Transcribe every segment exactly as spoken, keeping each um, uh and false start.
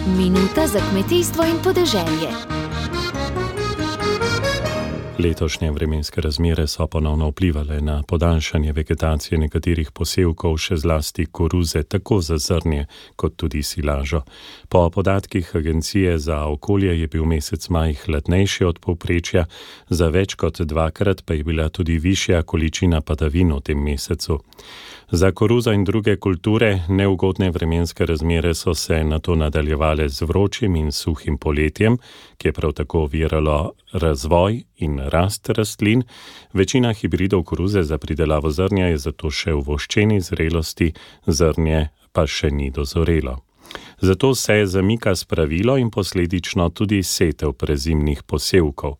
Minuta za kmetijstvo in podeželje. Letošnje vremenske razmere so ponovno vplivale na podaljšanje vegetacije nekaterih posevkov, še zlasti koruze, tako za zrnje kot tudi silažo. Po podatkih Agencije za okolje je bil mesec maj hladnejši od povprečja, za več kot dvakrat pa je bila tudi višja količina padavin v tem mesecu. Za koruzo in druge kulture neugodne vremenske razmere so se nato nadaljevale z vročim in suhim poletjem, ki je prav tako oviralo razvoj in rast rastlin. Večina hibridov koruze za pridelavo zrnja je zato še v voščeni zrelosti, zrnje pa še ni dozorelo. Zato se zamika spravilo in posledično tudi setev prezimnih posevkov.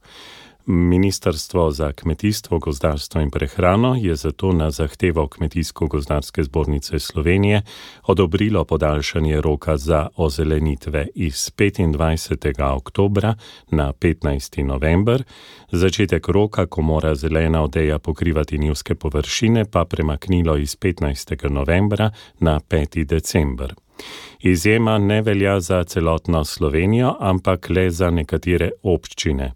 Ministrstvo za kmetijstvo, gozdarstvo in prehrano je zato na zahtevo Kmetijsko-gozdarske zbornice Slovenije odobrilo podaljšanje roka za ozelenitve iz petindvajsetega oktobra na petnajsti november. Začetek roka, ko mora zelena odeja pokrivati njivske površine, pa premaknilo iz petnajstega novembra na peti december. Izjema ne velja za celotno Slovenijo, ampak le za nekatere občine.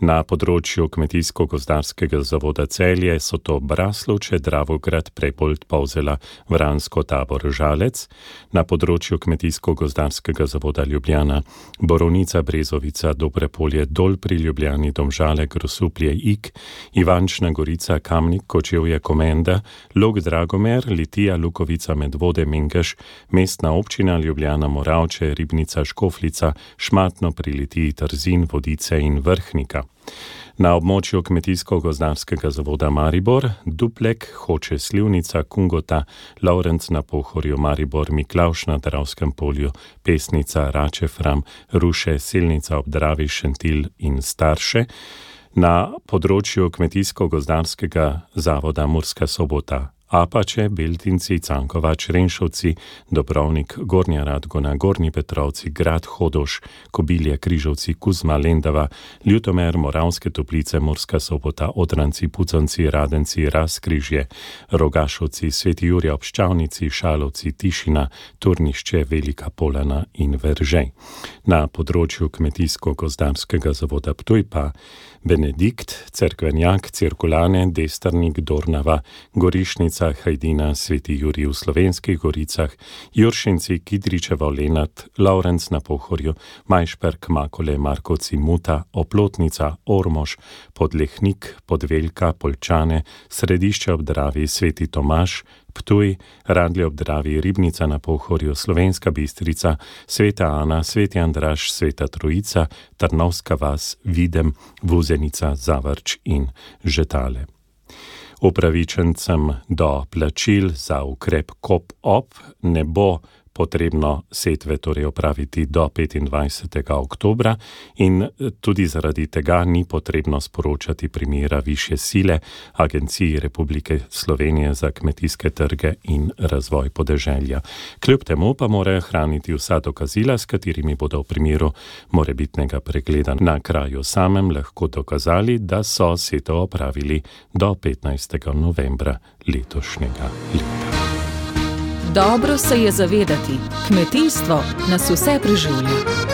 Na področju Kmetijsko-gozdarskega zavoda Celje so to Braslovče, Dravograd, Prebold, Polzela, Vransko, Tabor, Žalec. Na področju Kmetijsko-gozdarskega zavoda Ljubljana Borovnica, Brezovica, Dobrepolje, Dol pri Ljubljani, Domžale, Grosuplje, Ig, Ivančna Gorica, Kamnik, Kočevje, Komenda, Log, Dragomer, Litija, Lukovica, Medvode, Mengeš, Mestna občina Ljubljana, Moravče, Ribnica, Škofljica, Šmartno pri Litiji, Trzin, Vodice in Vrhnika. Na območju Kmetijsko-gozdarskega zavoda Maribor, Duplek, Hoče, Slivnica, Kungota, Lovrenc na Pohorju, Maribor, Miklavž na Dravskem polju, Pesnica, Rače, Fram, Ruše, Selnica ob Dravi, Šentilj in Starše. Na področju Kmetijsko-gozdarskega zavoda Murska Sobota, Apače, Beltinci, Cankovač, Renšovci, Dobrovnik, Gornja Radgona, Gornji Petrovci, Grad Hodoš, Kobilje, Križovci, Kuzma, Lendava, Ljutomer, Moravske Toplice, Murska Sobota, Odranci, Pucanci, Radenci, Razkrižje, Rogašovci, Sveti Jurij ob Ščavnici, Šalovci, Tišina, Turnišče, Velika Polana in Veržej. Na področju Kmetijsko-gozdarskega zavoda Ptuj pa Benedikt, Cerkvenjak, Cirkulane, Destrnik, Dornava, Gorišnica, Hajdina, Sveti Jurij v Slovenskih Goricah, Juršinci, Kidričevo, Lenart, Lovrenc na Pohorju, Majšperk, Makole, Markovci, Muta, Oplotnica, Ormož, Podlehnik, Podveljka, Poljčane, Središče ob Dravi, Sveti Tomaž, Ptuj, Radlje ob Dravi, Ribnica na Pohorju, Slovenska Bistrica, Sveta Ana, Sveti Andraž, Sveta Trojica, Trnovska vas, Videm, Vuzenica, Zavrč in Žetale. Upravičencem do plačil za ukrep Kop-op ne bo potrebno setve torej opraviti do petindvajsetega oktobra in tudi zaradi tega ni potrebno sporočati primera višje sile Agenciji Republike Slovenije za kmetijske trge in razvoj podeželja. Kljub temu pa morajo hraniti vsa dokazila, s katerimi bodo v primeru morebitnega pregleda na kraju samem lahko dokazali, da so setev opravili do petnajstega novembra letošnjega leta. Dobro se je zavedati, kmetijstvo nas vse preživlja.